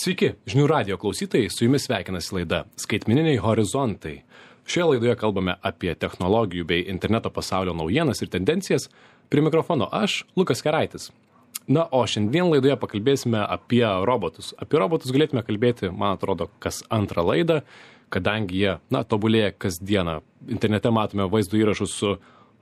Sveiki, žinių radijo klausytojai, su jumis sveikinasi laida Skaitmeniniai horizontai. Šioje laidoje kalbame apie technologijų bei interneto pasaulio naujienas ir tendencijas. Prie mikrofono aš, Lukas Keraitis. Na, o šiandien laidoje pakalbėsime apie robotus. Apie robotus galėtume kalbėti, man atrodo, kas antrą laidą, kadangi jie, tobulėja kasdieną. Internete matome vaizdo įrašus su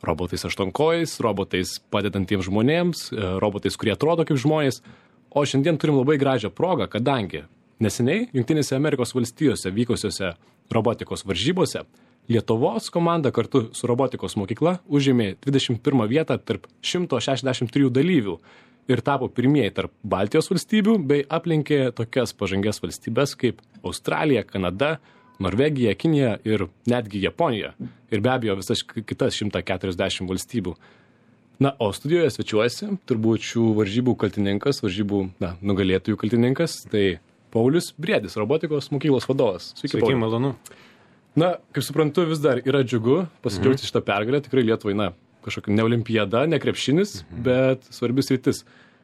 robotais aštuonkojais, robotais padedantiems žmonėms, robotais, kurie atrodo kaip žmonės. O šiandien turim labai gražią progą, kadangi neseniai Jungtinėse Amerikos valstijose vykusiose robotikos varžybose Lietuvos komanda kartu su robotikos mokykla užėmė 21 vietą tarp 163 dalyvių ir tapo pirmieji tarp Baltijos valstybių bei aplenkė tokias pažangias valstybes kaip Australija, Kanada, Norvegija, Kinija ir netgi Japonija. Ir be abejo visas kitas 140 valstybių. Na, o studijoje svečiuojasi turbūt šių varžybų kaltininkas, nugalėtojų kaltininkas, tai Paulius Briedis, robotikos mokyklos vadovas. Sveiki, malonu. Na, kaip suprantu, vis dar yra džiugu pasidžiaugti šitą pergalę. Tikrai Lietuvai, kažkokia ne olimpiada, ne krepšinis, bet svarbis rytis.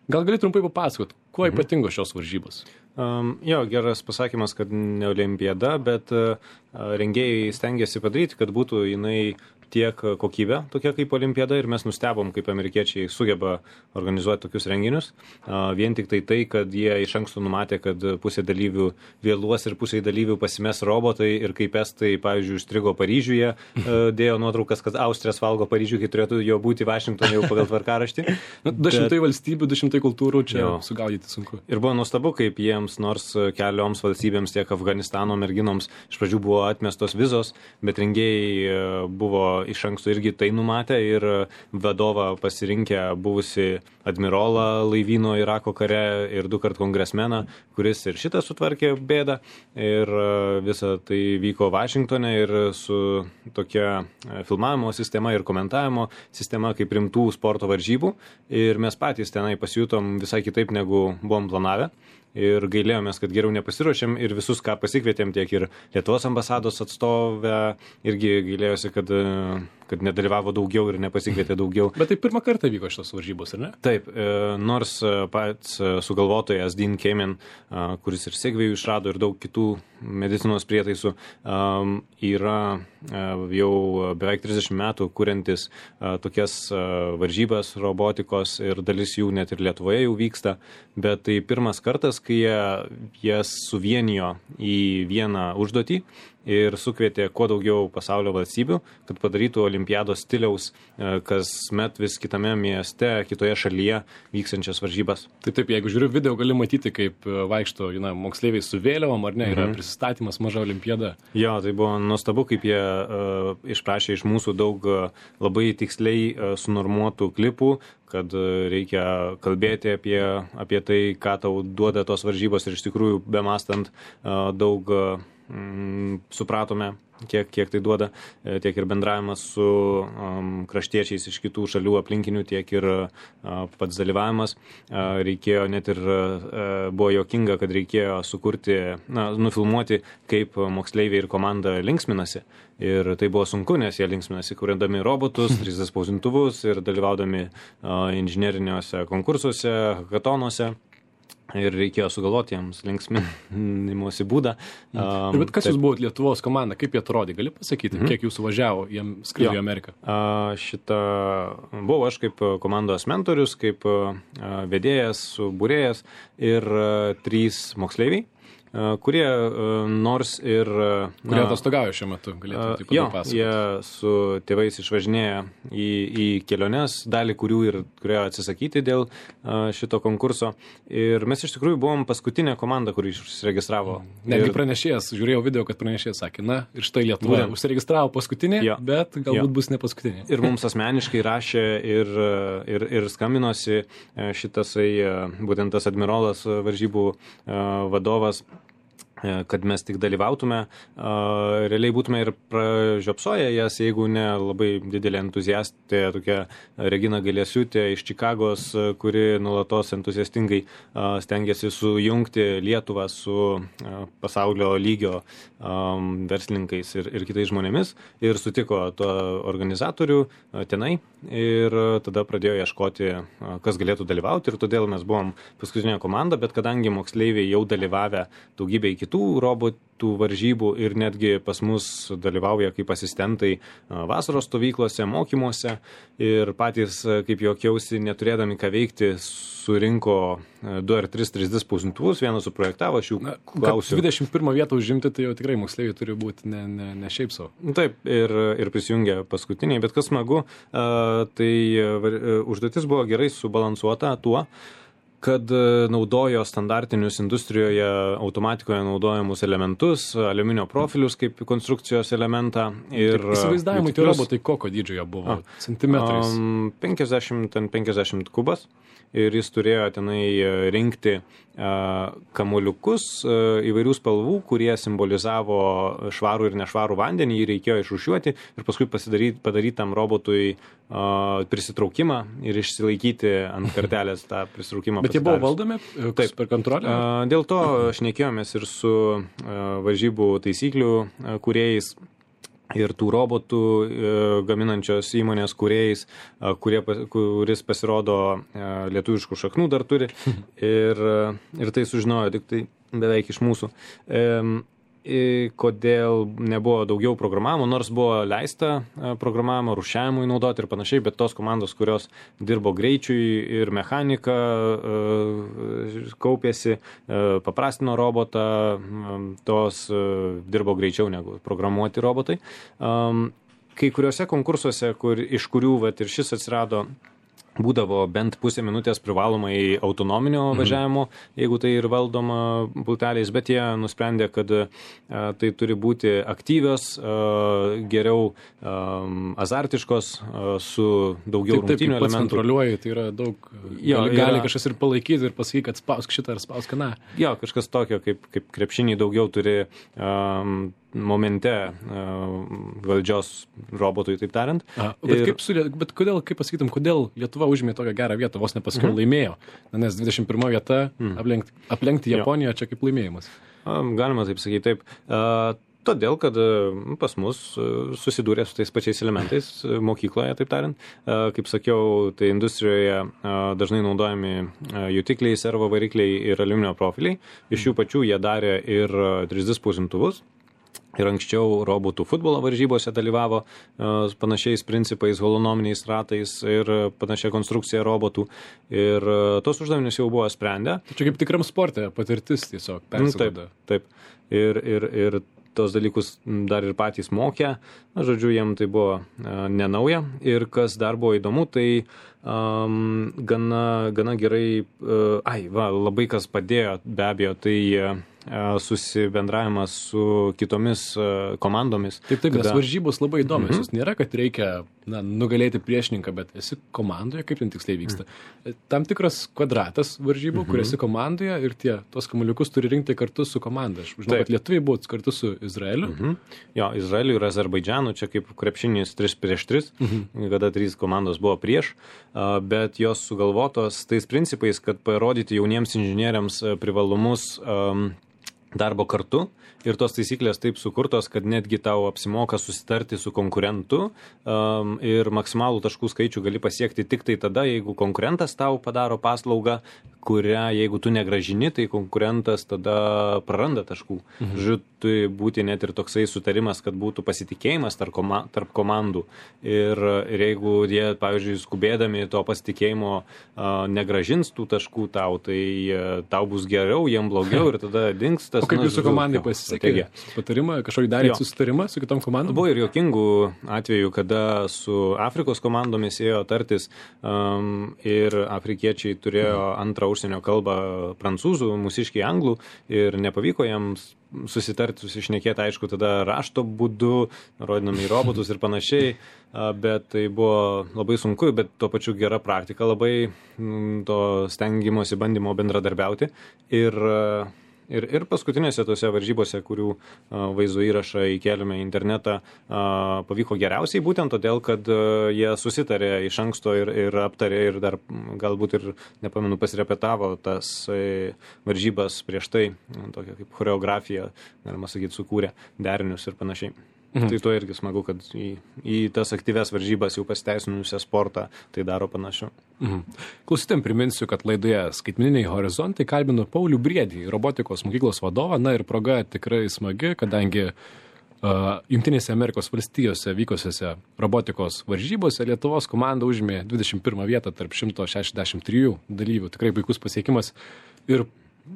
Gal gali trumpai papasakot, kuo ypatingo šios varžybos? Geras pasakymas, kad ne olimpiada, bet rengėjai stengiasi padaryti, kad būtų jinai tiek kokybė, tokia kaip olimpiada, ir mes nustebom, kaip amerikiečiai sugeba organizuoti tokius renginius. Vien tik tai, kad jie iš anksto numatė, kad pusė dalyvių vėluos ir pusė dalyvių pasimes robotai, ir kaip estai, pavyzdžiui, užstrigo Paryžiuje, dėjo nuotraukas, kad Austrijas valgo Paryžių, kai turėtų jo būti Vašingtonė jau pagal tvarkaraštį. 200 valstybių, 200 kultūrų, čia sugaudyti sunku. Ir buvo nuostabu, kaip jiems, nors kelioms valstybėms, tiek Afganistano merginoms, iš pradžių buvo atmestos vizos, bet rengėjai buvo iš anksto irgi tai numatę, ir vadovą pasirinkę buvusi admirolą laivyno Irako kare ir 2-kart kongresmeną, kuris ir šitą sutvarkė bėdą, ir visa tai vyko Vašingtone ir su tokia filmavimo sistema ir komentavimo sistema kaip rimtų sporto varžybų, ir mes patys tenai pasijutom visai kitaip, negu buvom planavę. Ir gailėjomės, kad geriau nepasiruošėm, ir visus, ką pasikvietėm, tiek ir Lietuvos ambasados atstovę, irgi gailėjosi, kad nedalyvavo daugiau ir nepasikvietė daugiau. Bet tai pirmą kartą vyko šitos varžybos, ar ne? Taip, nors pats sugalvotojas Dean Kamen, kuris ir segvėjų išrado ir daug kitų medicinos prietaisų, yra jau beveik 30 metų kuriantis tokias varžybas robotikos, ir dalis jų net ir Lietuvoje jau vyksta, bet tai pirmas kartas, kai jas suvienijo į vieną užduotį ir sukvietė kuo daugiau pasaulio valstybių, kad padarytų olimpiados stiliaus kasmet vis kitame mieste, kitoje šalyje vykstančias varžybas. Tai taip, jeigu žiūriu video, gali matyti, kaip vaikšto moksleiviai su vėliavom, ar ne, yra prisistatymas, maža olimpiada. Jo, tai buvo nuostabu, kaip jie išprašė iš mūsų daug labai tiksliai sunormuotų klipų, kad reikia kalbėti apie tai, ką tau duoda tos varžybos, ir iš tikrųjų bemastant daug supratome, kiek tai duoda, tiek ir bendravimas su kraštiečiais iš kitų šalių aplinkinių, tiek ir pats dalyvavimas. Reikėjo net ir, buvo juokinga, kad reikėjo sukurti, nufilmuoti, kaip moksleiviai ir komanda linksminasi. Ir tai buvo sunku, nes jie linksminasi, kuriandami robotus, 3D spausdintuvus ir dalyvaudami inžineriniuose konkursuose, hackathonuose. Ir reikėjo sugalvoti jiems linksminimosi būdą. Bet kas jūs buvot Lietuvos komanda, kaip jie atrodė, gali pasakyti, kiek jūsų važiavo, jiem skrido į Ameriką? Buvau aš kaip komandos mentorius, kaip vedėjas, subūrėjas ir 3 moksleiviai, kurie nors ir... Kurie atostogauja šiuo metu, galėtų taip papasakoti. Jie su tėvais išvažinėja į keliones, dalį kurių ir turėjo atsisakyti dėl šito konkurso. Ir mes iš tikrųjų buvom paskutinė komanda, kuri užsiregistravo. Netgi pranešėjas, žiūrėjau video, kad pranešėjas sakė, ir štai Lietuva užsiregistravo paskutinė, bet galbūt bus ne paskutinė. Ir mums asmeniškai rašė ir skambinosi šitasai, būtent tas admirolas varžybų vadovas, kad mes tik dalyvautume, realiai būtume ir pražiopsoję jas, jeigu ne labai didelė entuziastė, tokia Regina Galėsiūtė iš Čikagos, kuri nuolatos entuziastingai stengiasi sujungti Lietuvą su pasaulio lygio verslininkais ir kitais žmonėmis ir sutiko to organizatorių tenai ir tada pradėjo ieškoti, kas galėtų dalyvauti ir todėl mes buvom paskutinė komanda, bet kadangi moksleiviai jau dalyvavę daugybę kitų robotų varžybų ir netgi pas mus dalyvauja kaip asistentai vasaros stovyklose, mokymuose ir patys, kaip juokiausi, neturėdami ką veikti, surinko 2 ar 3 3D spausdintuvus, vieną suprojektavo, aš jų klausiu. 21 vietą užimti, tai jau tikrai moksleiviai turi būti ne šiaip savo. Taip, ir prisijungė paskutiniai, bet kas smagu, tai užduotis buvo gerai subalansuota tuo, kad naudojo standartinius industrijoje automatikoje naudojamus elementus, aliuminio profilius kaip konstrukcijos elementą. Ir įsivaizdavimui tie robotai kokio dydžio jie buvo? Centimetrais? 50 kubas. Ir jis turėjo tenai rinkti kamuoliukus įvairių spalvų, kurie simbolizavo švarų ir nešvarų vandenį, jį reikėjo išrūšiuoti ir paskui padaryti tam robotui prisitraukimą ir išsilaikyti ant kartelės tą prisitraukimą. Bet jie buvo valdomi per kontrolę? Dėl to šnekėjomės ir su varžybų taisyklių kūrėjais ir tų robotų gaminančios įmonės kūrėjais, kuris pasirodo lietuviškų šaknų dar turi ir tai sužinojo tik tai beveik iš mūsų. Kodėl nebuvo daugiau programavimo, nors buvo leista programavimo rūšiavimui naudoti ir panašiai, bet tos komandos, kurios dirbo greičiui ir mechanika, kaupėsi, paprastino robotą, tos dirbo greičiau negu programuoti robotai. Kai kuriuose konkursuose, iš kurių ir šis atsirado, būdavo bent pusę minutės privalomai autonominio važiavimo, jeigu tai ir valdoma pulteliais, bet jie nusprendė, kad tai turi būti aktyvios, geriau azartiškos, su daugiau rungtynių elementų. Taip, kontroliuoji, tai yra daug, gali kažkas ir palaikyti ir pasakyti, kad spausk šitą ar spausk aną. Jo, kažkas tokio, kaip krepšinį daugiau turi momente valdžios robotui, taip tariant. Bet kodėl, kaip pasakytum, kodėl Lietuva užėmė tokią gerą vietą, vos nepaskiau laimėjo? Nes 21 vieta aplenkti Japoniją čia kaip laimėjimas. Galima taip sakyti, taip. Todėl, kad pas mus susidūrė su tais pačiais elementais mokykloje, taip tariant. Kaip sakiau, tai industrijoje dažnai naudojami jutikliai, servo varikliai ir aliuminio profiliai. Iš jų pačių jie darė ir 3D spausdintuvus. Ir anksčiau robotų futbolo varžybose dalyvavo panašiais principais, holonominiais ratais ir panašia konstrukcija robotų. Ir tos uždavinius jau buvo sprendę. Čia kaip tikram sporte patirtis tiesiog persiduoda. Taip. Ir tos dalykus dar ir patys mokė. Žodžiu, jiem tai buvo nenauja. Ir kas dar buvo įdomu, tai gana gerai, labai kas padėjo, be abejo, tai susibendravimas su kitomis komandomis. Taip, nes varžybos labai įdomios. Jūs nėra, kad reikia nugalėti priešininką, bet esi komandoje, kaip ten tiksliai vyksta. Tam tikras kvadratas varžybų, kur esi komandoje ir tos kamuoliukus turi rinkti kartu su komanda. Aš žinau, kad lietuviai buvo kartu su Izraeliu. Jo, Izraeliu ir Azerbaidžanu, čia kaip krepšinis 3-3, kada 3 komandos buvo prieš, bet jos sugalvotos tais principais, kad parodyti jauniems inžinieriams privalumus darbo kartu ir tos taisyklės taip sukurtos, kad netgi tau apsimoka susitarti su konkurentu ir maksimalų taškų skaičių gali pasiekti tik tai tada, jeigu konkurentas tau padaro paslaugą, kurią jeigu tu negražini, tai konkurentas tada praranda taškų. Žodžiu, turi būti net ir toksai sutarimas, kad būtų pasitikėjimas tarp komandų. Ir jeigu jie, pavyzdžiui, skubėdami to pasitikėjimo negražins tų taškų tau, tai tau bus geriau, jiem blogiau ir tada dings tas. O kaip jūsų komandai pasisekė? Patarimą, kažkokį darėt susitarimą su kitom komandom? Buvo ir juokingų atvejų, kada su Afrikos komandomis ėjo tartis ir afrikiečiai turėjo antrą užsienio kalbą prancūzų, mūsiškiai anglų ir nepavyko jiems susitarti, susišnekėti, aišku, tada rašto būdu, rodinami į robotus ir panašiai, bet tai buvo labai sunku, bet tuo pačiu gera praktika, labai to stengimosi bandymo bendradarbiauti ir Ir paskutinėse tose varžybose, kurių vaizdo įrašą įkėlėme į internetą, pavyko geriausiai būtent todėl, kad jie susitarė iš anksto ir aptarė ir dar galbūt ir, nepamenu, pasirepetavo tas varžybas prieš tai, tokia kaip choreografija, galima sakyti, sukūrė derinius ir panašiai. Tai to irgi smagu, kad į tas aktyves varžybas jau pasiteisinusią sportą tai daro panašiau. Klausytėm priminsiu, kad laidoje Skaitmeniniai horizontai kalbino Paulių Briedį, robotikos mokyklos vadovą. Na ir proga tikrai smagi, kadangi Jungtinėse Amerikos valstijose vykusiose robotikos varžybose Lietuvos komanda užėmė 21 vietą tarp 163 dalyvių. Tikrai puikus pasiekimas. Ir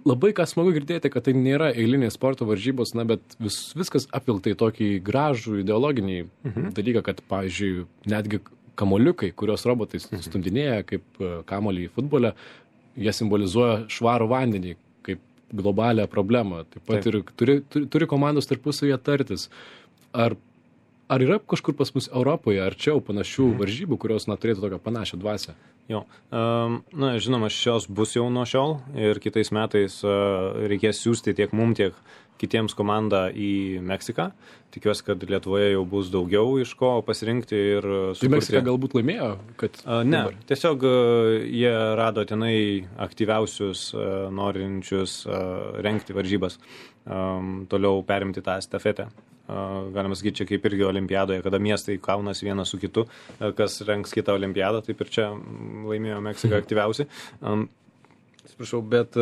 labai ką smagu girdėti, kad tai nėra eilinės sporto varžybos, na, bet viskas apvilkta į tokį gražų ideologinį dalyką, kad, pavyzdžiui, netgi kamoliukai, kurios robotai stumdinėja kaip kamolį į futbolę, jie simbolizuoja švarų vandenį kaip globalią problemą. Taip pat ir turi komandos tarpusavyje tartis. Ar yra kažkur pas mus Europoje arčiau panašių varžybų, kurios turėtų tokią panašią dvasią? Jo. Na, žinoma, šios bus jau nuo šiol ir kitais metais reikės siūsti tiek mum, tiek kitiems komandą į Meksiką. Tikiuosi, kad Lietuvoje jau bus daugiau iš ko pasirinkti ir sukurti. Tai Meksika galbūt laimėjo? Ne, tiesiog jie rado tenai aktyviausius norinčius rengti varžybas, toliau perimti tą estafetę. Galima sakyti, čia kaip irgi olimpiadoje, kada miestai kaunasi vienas su kitu, kas rengs kitą olimpiadą, taip ir čia laimėjo Meksika aktyviausiai. Atsiprašau, bet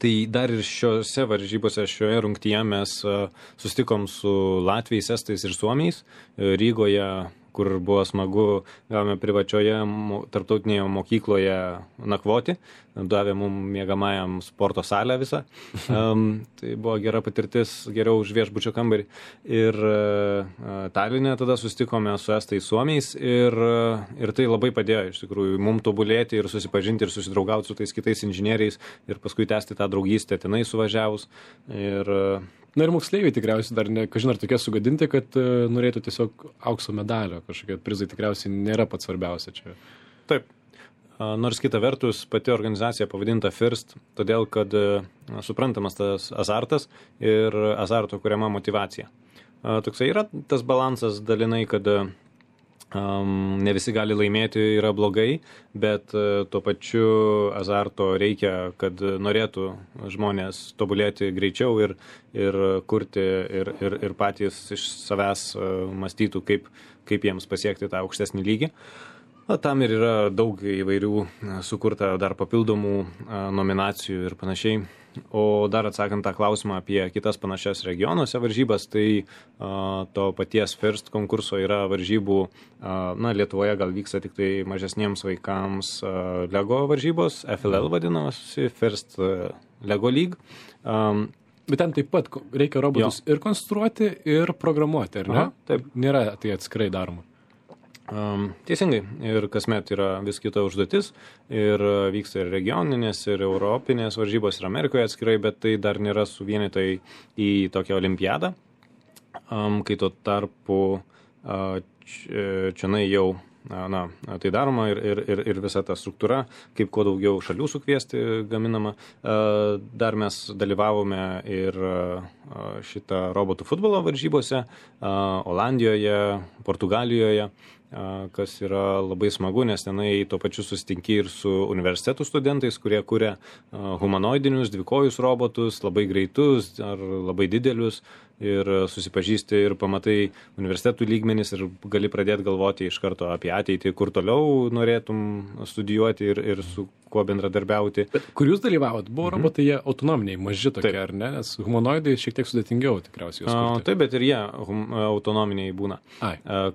tai dar ir šiose varžybose, šioje rungtyje mes susitikom su Latviais, Estais ir Suomiais Rygoje, kur buvo smagu, gavome privačioje tarptautinėje mokykloje nakvoti, davė mums miegamajam sporto salę visą. Tai buvo gera patirtis, geriau už viešbučio kambarį. Ir Taline tada susitikome su Estais Suomiais ir tai labai padėjo iš tikrųjų mums tobulėti ir susipažinti ir susidraugauti su tais kitais inžinieriais ir paskui tęsti tą draugystę tenai suvažiavus. Na ir moksleiviai tikriausiai dar kažin ar tokie sugadinti, kad norėtų tiesiog aukso medalio, kažkokie prizai tikriausiai nėra pats svarbiausia čia. Taip. Nors kita vertus pati organizacija pavadinta FIRST, todėl kad suprantamas tas azartas ir azarto kuriama motyvacija. Toksai yra tas balansas dalinai, kad ne visi gali laimėti, yra blogai, bet tuo pačiu azarto reikia, kad norėtų žmonės tobulėti greičiau ir kurti ir patys iš savęs mąstytų, kaip jiems pasiekti tą aukštesnį lygį. Tam ir yra daug įvairių sukurta dar papildomų nominacijų ir panašiai. O dar atsakant tą klausimą apie kitas panašias regionuose varžybas, tai to paties FIRST konkurso yra varžybų, Lietuvoje gal vyksta tik tai mažesniems vaikams Lego varžybos, FLL vadinasi, FIRST Lego League. Bet ten taip pat reikia robotus ir konstruoti, ir programuoti, ar ne? Taip. Nėra tai atskirai daroma. Teisingai. Ir kasmet yra vis kita užduotis ir vyksta ir regioninės, ir europinės varžybos ir Amerikoje atskirai, bet tai dar nėra suvienytai į tokią olimpiadą. Kai tuo tarpu čionai jau tai daroma ir visa ta struktūra, kaip kuo daugiau šalių sukviesti gaminama. Dar mes dalyvavome ir šitą robotų futbolo varžybose Olandijoje, Portugalijoje, kas yra labai smagu, nes tenai tuo pačiu susitinki ir su universitetų studentais, kurie kuria humanoidinius dvikojus robotus, labai greitus ar labai didelius, ir susipažįsti ir pamatai universitetų lygmenis ir gali pradėti galvoti iš karto apie ateitį, kur toliau norėtum studijuoti ir su kuo bendradarbiauti. Bet kur jūs dalyvavot? Buvo robotai, jie autonominiai, maži tokie, ar ne? Nes humanoidai šiek tiek sudėtingiau tikriausiai juos kurti. Taip, bet ir jie autonominiai būna.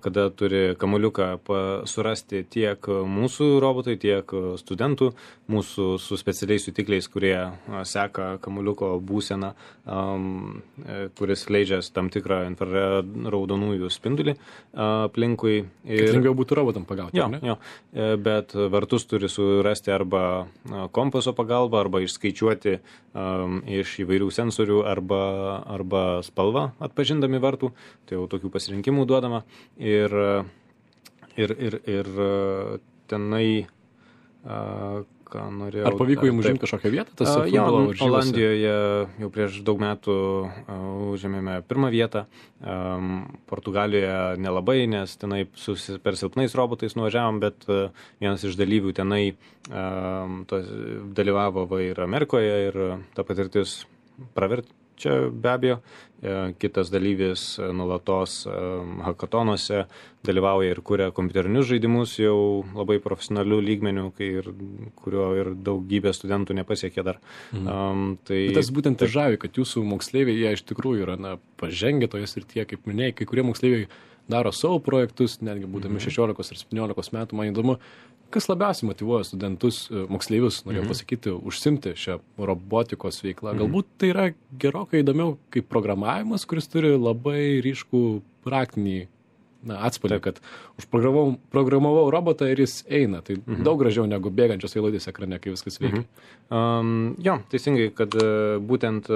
Kada turi kamuoliuką surasti tiek mūsų robotai, tiek studentų, mūsų su specialiais jutikliais, kurie seka kamuoliuko būseną, kuris leidžia tam tikrą infraraudonųjų spindulį aplinkui. Kad lengviau būtų robotam pagauti, ne? Jo. Bet vartus turi surasti arba kompaso pagalba, arba išskaičiuoti iš įvairių sensorių, arba spalvą atpažindami vartų. Tai jau tokių pasirinkimų duodama. Ir tenai ką norėjau. Ar pavyko jums užimti kažkokią vietą? Tas futbolo varžybose? Olandijoje jau prieš daug metų užėmėme pirmą vietą. Portugalijoje nelabai, nes tenai per silpnais robotais nuvažiavom, bet vienas iš dalyvių tenai dalyvavo ir Amerikoje ir ta patirtis praverčia be abejo. Kitas dalyvis nuolatos hackathonuose dalyvauja ir kuria kompiuterinius žaidimus jau labai profesionalių lygmenių, kurio ir daugybė studentų nepasiekė dar. Bet tas būtent ir žavi, kad jūsų moksleiviai, jie iš tikrųjų yra pažengę toje srityje, kaip minėjai, kai kurie moksleiviai daro savo projektus, netgi būdami 16 ar 17 metų, man įdomu, kas labiausiai motyvuoja studentus, moksleivius, norėjau pasakyti, užsimti šią robotikos veiklą. Galbūt tai yra gerokai įdomiau kaip programavimas, kuris turi labai ryškų praktinį atspalvį, kad užprogramavau robotą ir jis eina. Tai daug gražiau negu bėgančios eilutės ekrane, kai viskas veikia. Jo, teisingai, kad būtent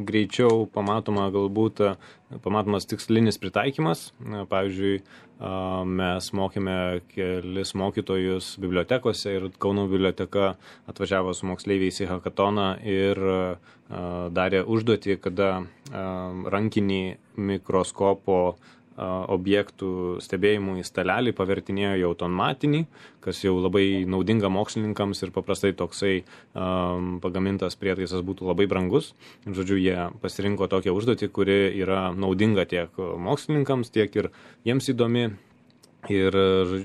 greičiau pamatomas tikslinis pritaikymas. Pavyzdžiui, mes mokėme kelis mokytojus bibliotekose ir Kauno biblioteka atvažiavo su moksleiviais į hackathoną ir darė užduotį, kada rankinį mikroskopo objektų stebėjimų į stalelį pavertinėjo į automatinį, kas jau labai naudinga mokslininkams ir paprastai toksai pagamintas prietaisas būtų labai brangus. Žodžiu, jie pasirinko tokią užduotį, kuri yra naudinga tiek mokslininkams, tiek ir jiems įdomi ir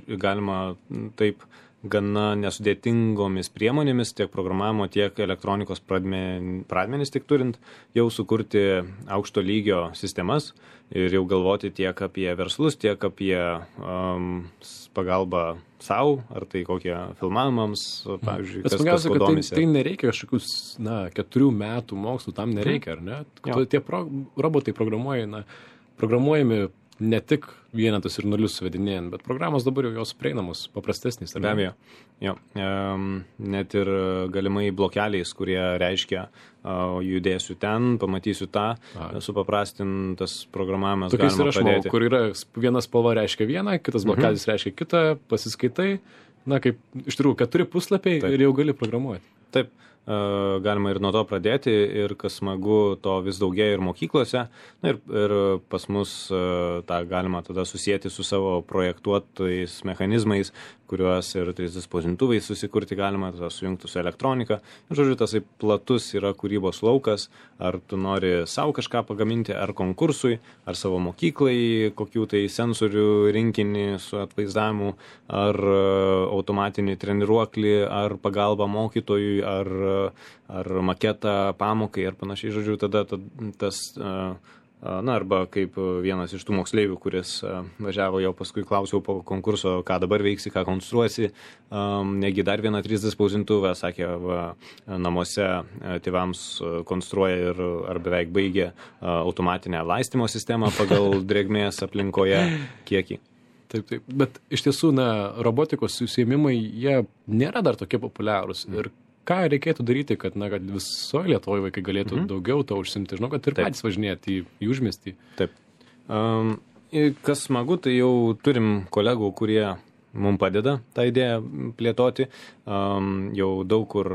galima taip gana nesudėtingomis priemonėmis, tiek programavimo, tiek elektronikos pradmenis tik turint, jau sukurti aukšto lygio sistemas ir jau galvoti tiek apie verslus, tiek apie pagalbą savo, ar tai kokie filmavimams, pavyzdžiui, kas domisi. Tai nereikia kažkokius, 4 metų mokslų, tam nereikia, ar ne? Tie robotai programuojami ne tik vienetus ir nulius suvedinėjant, bet programos dabar jau jos prieinamos, paprastesnis. Be abejo. Jo. Net ir galimai blokeliais, kurie reiškia judėsiu ten, pamatysiu tą, supaprastintas programavimas tokiais galima pradėti. Kur yra viena spalva reiškia vieną, kitas blokelis reiškia kitą, pasiskaitai, kaip iš tikrųjų 4 puslapiai ir jau gali programuoti. Taip. Galima ir nuo to pradėti ir kas smagu, to vis daugėja ir mokyklose. Ir pas mus tą galima tada susijęti su savo projektuotais mechanizmais, kuriuos ir 3D spausdintuvais susikurti galima, tada sujungti su elektronika. Žodžiu, tas platus yra kūrybos laukas, ar tu nori savo kažką pagaminti, ar konkursui, ar savo mokyklai, kokių tai sensorių rinkinį su atvaizdavimu, ar automatinį treniruoklį, ar pagalbą mokytojui, ar maketą pamokai, ar panašiai. Žodžiu, tada tas... arba kaip vienas iš tų moksleivių, kuris važiavo, jau paskui klausiau po konkurso, ką dabar veiksi, ką konstruosi, negi dar vieną 3D spausdintuvą, sakė, namuose tėvams konstruoja ar beveik baigė automatinę laistymo sistemą pagal drėgmės aplinkoje kiekį. Taip. Bet iš tiesų, robotikos užsiėmimai, jie nėra dar tokie populiarūs. Ir ką reikėtų daryti, kad visoje Lietuvoje vaikai galėtų daugiau to užsimti? Žinau, kad ir patys važinėti į užmiestį. Taip. Kas smagu, tai jau turim kolegų, kurie mums padeda tą idėją plėtoti. Jau daug kur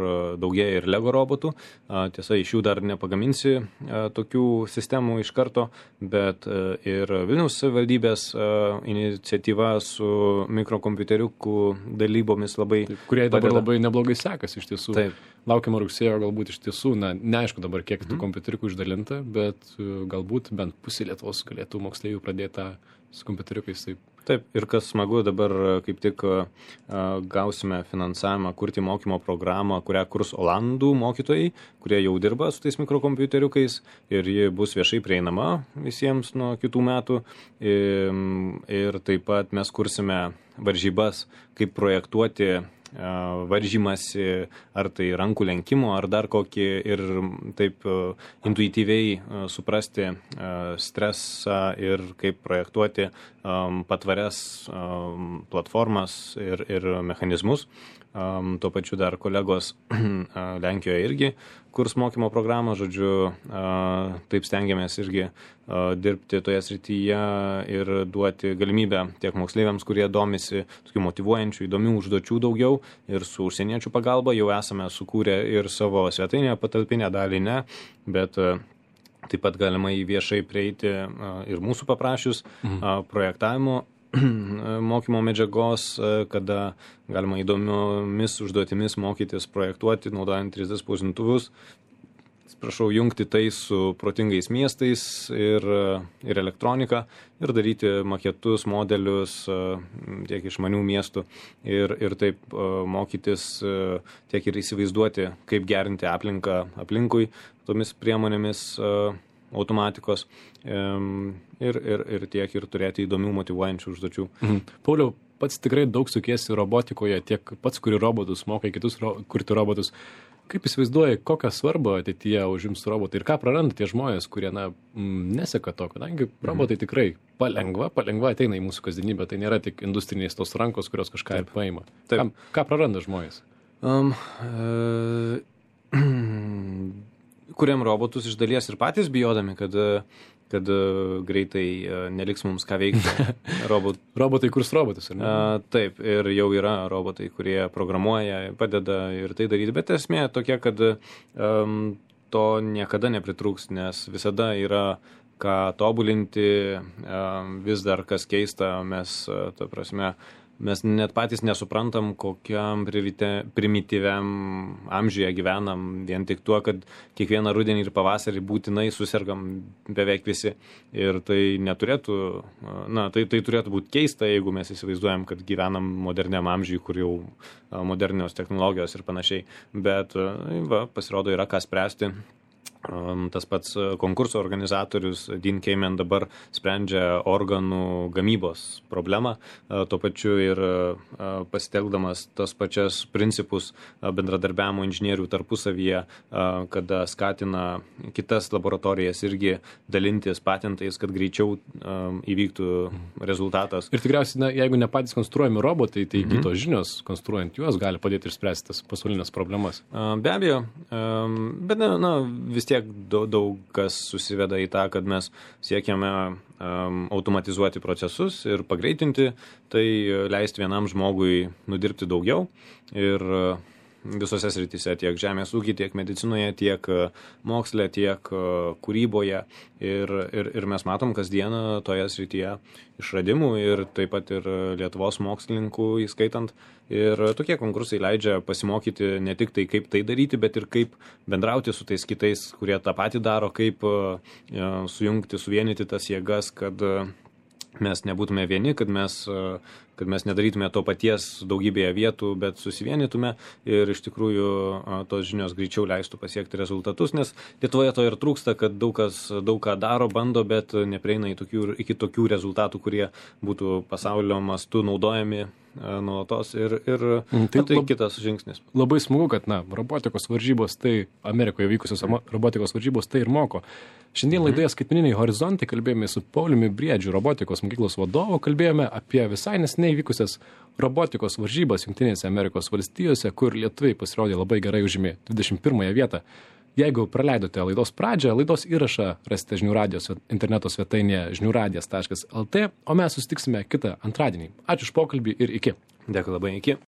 daugėja ir Lego robotų. Tiesa, iš jų dar nepagaminsi tokių sistemų iš karto, bet ir Vilniaus savivaldybės iniciatyva su mikrokompiuteriukų dalybomis labai kurie dabar labai neblogai sekasi iš tiesų. Taip. Laukiama rugsėjo galbūt iš tiesų, neaišku dabar kiek tų kompiuteriukų išdalinta, bet galbūt bent pusė Lietuvos galėtų moksleivių pradėti su kompiuteriukais. Taip, ir kas smagu, dabar kaip tik gausime finansavimą kurti mokymo programą, kurią kurs olandų mokytojai, kurie jau dirba su tais mikrokompiuteriukais ir ji bus viešai prieinama visiems nuo kitų metų. Ir taip pat mes kursime varžybas, kaip projektuoti varžymasi, ar tai rankų lenkimo, ar dar kokį, ir taip intuityviai suprasti stresą ir kaip projektuoti patvarias platformas ir mechanizmus. tuo pačiu dar kolegos Lenkijoje irgi kurs mokymo programą, žodžiu, taip stengiamės irgi dirbti toje srityje ir duoti galimybę tiek moksleiviams, kurie domisi tokių motyvuojančių, įdomių užduočių daugiau ir su užsieniečių pagalba jau esame sukūrę ir savo svetainėje patalpinę, dalį ne, bet taip pat galima į viešai prieiti ir mūsų paprašius projektavimo mokymo medžiagos, kada galima įdomiomis užduotimis mokytis projektuoti, naudojant 3D spausdintuvus. Prašau jungti tai su protingais miestais ir elektronika ir daryti maketus, modelius tiek išmanių miestų ir taip mokytis tiek ir įsivaizduoti, kaip gerinti aplinką aplinkui tomis priemonėmis automatikos ir tiek ir turėti įdomių motyvuojančių užduočių. Pauliau, pats tikrai daug sukiesi robotikoje, tiek pats kuri robotus, mokai kitus kurti robotus. Kaip įsivaizduoji, kokią svarbą ateityje užims robotai ir ką praranda tie žmonės, kurie neseka to, kadangi robotai tikrai palengva ateina į mūsų kasdienybę, tai nėra tik industrinės tos rankos, kurios kažką ir paima. Ką praranda žmonės? Kuriam robotus iš dalies ir patys bijodami, kad greitai neliks mums ką veikti. Robotai kurs robotus, ar ne? Taip, ir jau yra robotai, kurie programuoja, padeda ir tai daryti, bet esmė tokia, kad to niekada nepritrūks, nes visada yra ką tobulinti, vis dar kas keista, mes net patys nesuprantam, kokiam primityviam amžiuje gyvenam, vien tik tuo, kad kiekvieną rudenį ir pavasarį būtinai susergam beveik visi. Ir tai neturėtų, tai turėtų būti keista, jeigu mes įsivaizduojam, kad gyvenam moderniam amžiui, kur jau modernios technologijos ir panašiai. Bet pasirodo yra ką spręsti. Tas pats konkurso organizatorius Dean Kamen dabar sprendžia organų gamybos problemą, tuo pačiu ir pasitelkdamas tas pačias principus bendradarbiavimo inžinierių tarpusavyje, kada skatina kitas laboratorijas irgi dalintis patentais, kad greičiau įvyktų rezultatas. Ir tikriausiai, jeigu ne patys konstruojami robotai, tai kitos žinios, konstruojant juos, gali padėti išspręsti tas pasaulinės problemas. Be abejo, bet vis tiek daug kas susiveda į tą, kad mes siekiame automatizuoti procesus ir pagreitinti, tai leisti vienam žmogui nudirbti daugiau ir visose srityse, tiek žemės ūky, tiek medicinoje, tiek moksle, tiek kūryboje ir mes matom kasdieną toje srityje išradimų ir taip pat ir Lietuvos mokslininkų įskaitant. Ir tokie konkursai leidžia pasimokyti ne tik tai, kaip tai daryti, bet ir kaip bendrauti su tais kitais, kurie tą patį daro, kaip sujungti, suvienyti tas jėgas, kad mes nebūtume vieni, kad mes nedarytume to paties daugybėje vietų, bet susivienytume ir iš tikrųjų tos žinios greičiau leistų pasiekti rezultatus, nes Lietuvoje to ir trūksta, kad daug ką daro, bando, bet neprieina iki tokių rezultatų, kurie būtų pasaulio mastu naudojami nuolatos ir tai kitas žingsnis. Labai smagu, kad robotikos varžybos, tai Amerikoje vykusios robotikos varžybos tai ir moko. Šiandien laidoje Skaitmeniniai horizontai kalbėjome su Pauliumi Briedžiu, robotikos mokyklos vadovu, kalbėjome apie visai neseniai vykusias robotikos varžybas Jungtinėse Amerikos valstijose, kur lietuviai pasirodė labai gerai, užėmė 21 vietą. Jeigu praleidote laidos pradžią, laidos įrašą rasite žinių radijos interneto svetainėje žiniųradijas.lt, o mes susitiksime kitą antradienį. Ačiū už pokalbį ir iki. Dėkui labai, iki.